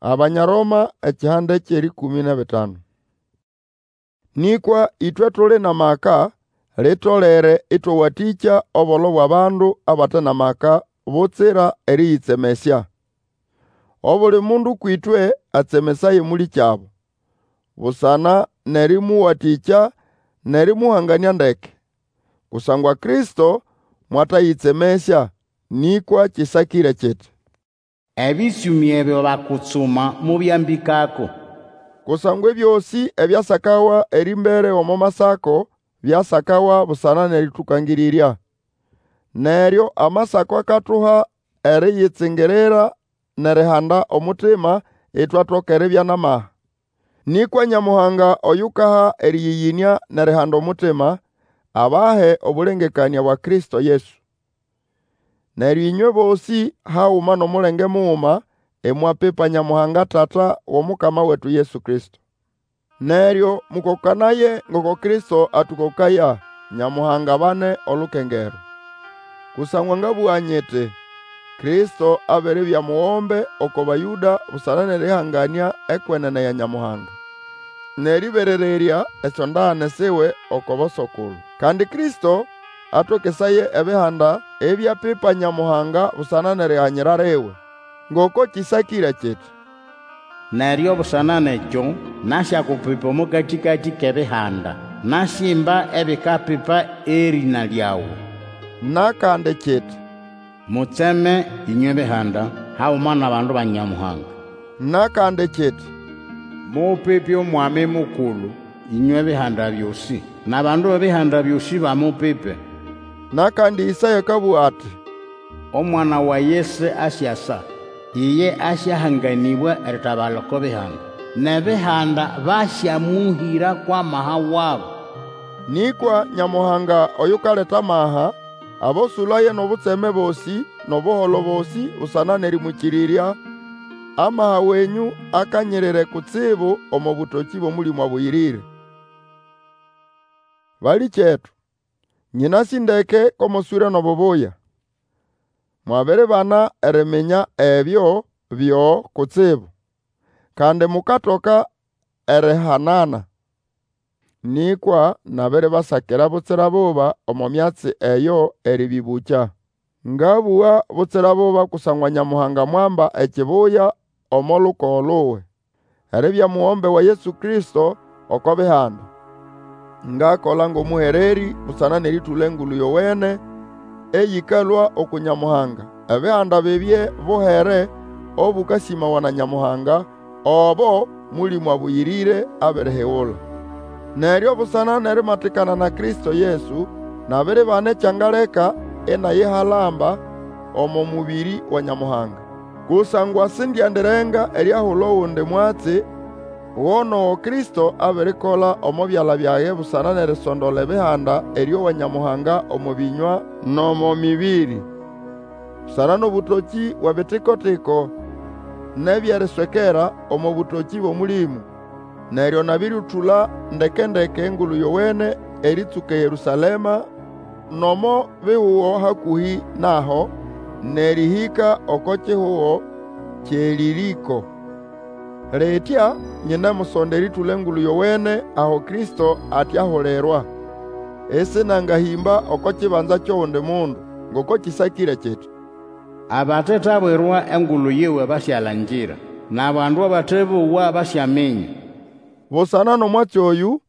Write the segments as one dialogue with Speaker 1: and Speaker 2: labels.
Speaker 1: Abanya Roma ekihanda ky'erĩkũmĩ n'ebitanu. Nĩkwa ĩtwe tuli n'amaka, litolere ĩtwawatĩkya obolo bw'abandu abate n'amaka butsira erĩyĩtsemesya. Obuli mundu kwĩtwe atsemesaye mũlĩkyabo, busana n'erĩmũwatĩkya n'erĩmũhanganĩa ndeke. Kusangwa Kristo mwatayĩtsemesya, nĩkwa kĩsakĩre kiti,
Speaker 2: Ebĩtsũmĩ ebyo bakutsuma mobyambĩkako.
Speaker 1: Kusangwa ebyosĩ ebyasakawa erĩmbere omo Masako byasakawa busana n'erĩtũkangĩrĩrya. Neryo Amasako akatuha eriyitsingirira n'erihanda omutima, itwatoka eribya n'amaha. Nĩkwa Nyamuhanga oyukaha erĩyĩyĩnĩa n'erihanda omutima, abahe obũlengekanĩa bwa Kristo Yesu. Neryo ĩnywe bosĩ haguma n'omulenge muguma, imwapipa Nyamuhanga Tata w'Omukama wetu Yesu Kristo. Neryo mũkokanaye ngoko Kristo atũkokaya, Nyamuhanga abane olukengerwa. Kusangwa ngabũga nyiti, Kristo abiribya mugombe oko Bayũda busana n'erĩhanganĩa ekwenene ya Nyamuhanga, n'erĩberererya esyondagane siwe oko boso-kulu. Kandi Kristo atokesaye Ebihanda ibyapipa Nyamuhanga busana n'eriganyira liwe. Ngoko kĩsakĩre kiti,
Speaker 2: Neryo busana n'ekyo nasyakupipa omo katĩkatĩ k'Ebihanda, Nasyimba ebikapipa erĩna lyawe.
Speaker 1: N'akandi kiti,
Speaker 2: Mutseme, ĩnywe Bihanda, haguma n'abandu ba Nyamuhanga.
Speaker 1: N'akandi kiti,
Speaker 2: Mupipe Omwami Mukulu, ĩnywe Bihanda byosĩ, N'abandu b'Ebihanda byosĩ bamupipe.
Speaker 1: N'akandi Ĩsaya akabũga ati,
Speaker 2: Omwana wa Yese asyasa, Iye asyahanganĩbwa eritabala oko Bihanda, N'Ebihanda basyamũhĩra kw'amaha wabo.
Speaker 1: Nĩkwa Nyamuhanga oyukaleta amaha, abosũlaye n'obutseme bosĩ n'obuholo bosĩ busana n'erĩmwĩkĩrĩrya, amaha wenyũ akanyirire kutsibu omo bũtokĩ bw'Omũlĩmũ Abũyĩrĩre. Balĩkyetu, nyĩnasĩ ndeke ko moswĩre n'obubuya. Mwabiribana eriminya ebyo byo kutsibu, kandi mukatoka erihanana. Nĩkwa nabiribasakira butsira buba omo myatsi eyo erĩbĩbũkya. Ngabũga butsira buba kusangwa Nyamuhanga mwamba ekibuya omo lukogo luwe, eribya mugombe wa Yesu Kristo oko Bihanda. Ngakola ng'omũhererĩ busana n'erĩtũla Engulu Yowene eyĩkalũa uku Nyamuhanga, Ebihanda bibye buhere obũkasĩmawa na Nyamuhanga, obo Mũlĩmũ Abũyĩrĩre abirihigula. Neryo busana n'erimatikana na Kristo Yesu, nabiribana ekyangaleka inayihalamba omo mũbĩrĩ wa Nyamuhanga. Kusangwa sindyandirenga eriahula ogundi mwatsi go n'ogo Kristo abirikola omo byala byage busana n'erisondola Ebihanda erĩowa Nyamuhanga omo bĩnywa n'omo mĩbĩrĩ. Busana n'obũtokĩ bw'ebitiko-tiko n'eby'eriswekera omo bũtokĩ bw'Omũlĩmũ. Neryo nabĩrĩũtũla ndeke-ndeke Engulu Yowene erĩtsũka eYerũsalema n'omo bihugo hakũhĩ n'aho, n'erĩhĩka oko kihugo ky'eElĩrĩko. Litya nyinemusonda erĩtũla Engulu Yowene aho Kristo atiahulirwa, isinangahĩmba oko kibanza ky'ogundi mundu. Ngoko kĩsakĩre kiti,
Speaker 2: Abatetabwirwa engulu yiwe basyalangira, N'abandu abatebowa basyaminya.
Speaker 1: Busana n'omwatsi oyũ,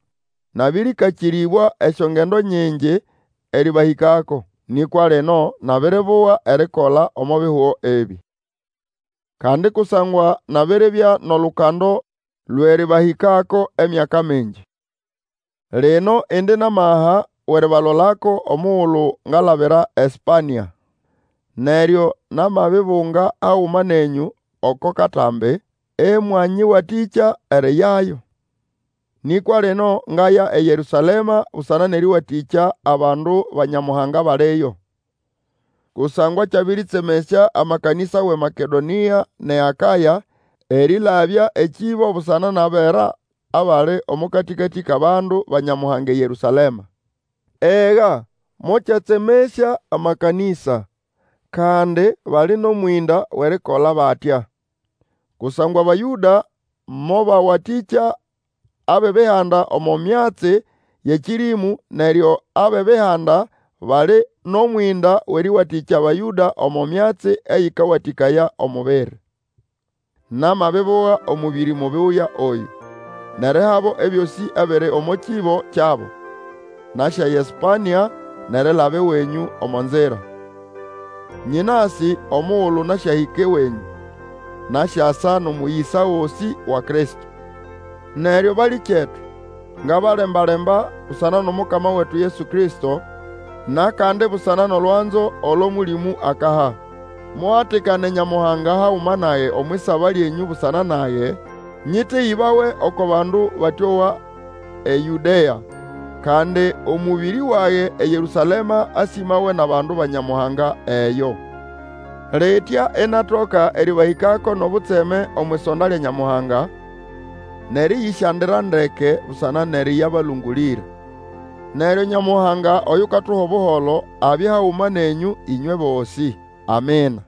Speaker 1: nabĩrĩkakĩrĩbwa esyongendo nyingi erĩbahĩkako. Nĩkwa lino nabiribuga erikola omo bihugo ebĩ. Kandi kusangwa nabiribya n'olukando lw'erĩbahĩkako emyaka mingi. Lino indi n'amaha w'eribalolako omugulu ngalabira eSpania. Neryo namabibunga haguma nenyũ oko katambi, ĩmwanyĩwatĩkya eriyayo. Nĩkwa lino ngaya eYerũsalema busana n'erĩwatĩkya abandu ba Nyamuhanga abaliyo. Kusangwa kyabĩrĩtsemesya amakanĩsa w'eMakedonĩa n'eAkaya erĩlabya ekĩbo busana n'abera abali omo katĩkatĩ k'abandu ba Nyamuhanga eYerũsalema. Ega, mokyatsemesya amakanĩsa, kandi bali n'omwĩnda w'erikola batya. Kusangwa Abayũda mobawatĩkya ab'Ebihanda omo myatsi y'ekĩrĩmũ, neryo ab'Ebihanda bali n'omwĩnda w'erĩwatĩkya Abayũda omo myatsi eyĩkawatĩkaya omubiri. Namabibuga omũbĩrĩ mubuya oyũ, n'erihabo ebyosĩ ebiri omo kĩbo kyabo. Nasyaya eSpanĩa n'erilaba ewenyũ omo nzira. Nyĩnasĩ omugulu nasyahĩka ewenyũ, nasyasa n'omũyĩsa gosĩ wa Kristo. Neryo balĩkyetu, ngabalemba-lemba busana n'Omukama wetu Yesu Kristo, n'akandi busana n'olwanzo olo Mũlĩmũ akaha. Muhatikane Nyamuhanga haguma nage omw'isaba lyenyũ busana nage, nyĩtegĩbawe oko bandu batĩowa eYũdea, kandi omũbĩrĩ wage eYerũsalema asĩmawe n'abandu ba Nyamuhanga eyo. Litya inatoka erĩbahĩkako n'obutseme omw'isonda lya Nyamuhanga, n'erĩyĩsyandira ndeke busana n'erĩyabalũngũlĩra. Neryo Nyamuhanga oyukatuha Obuholo abye haguma nenyũ ĩnywe bosĩ. Amina.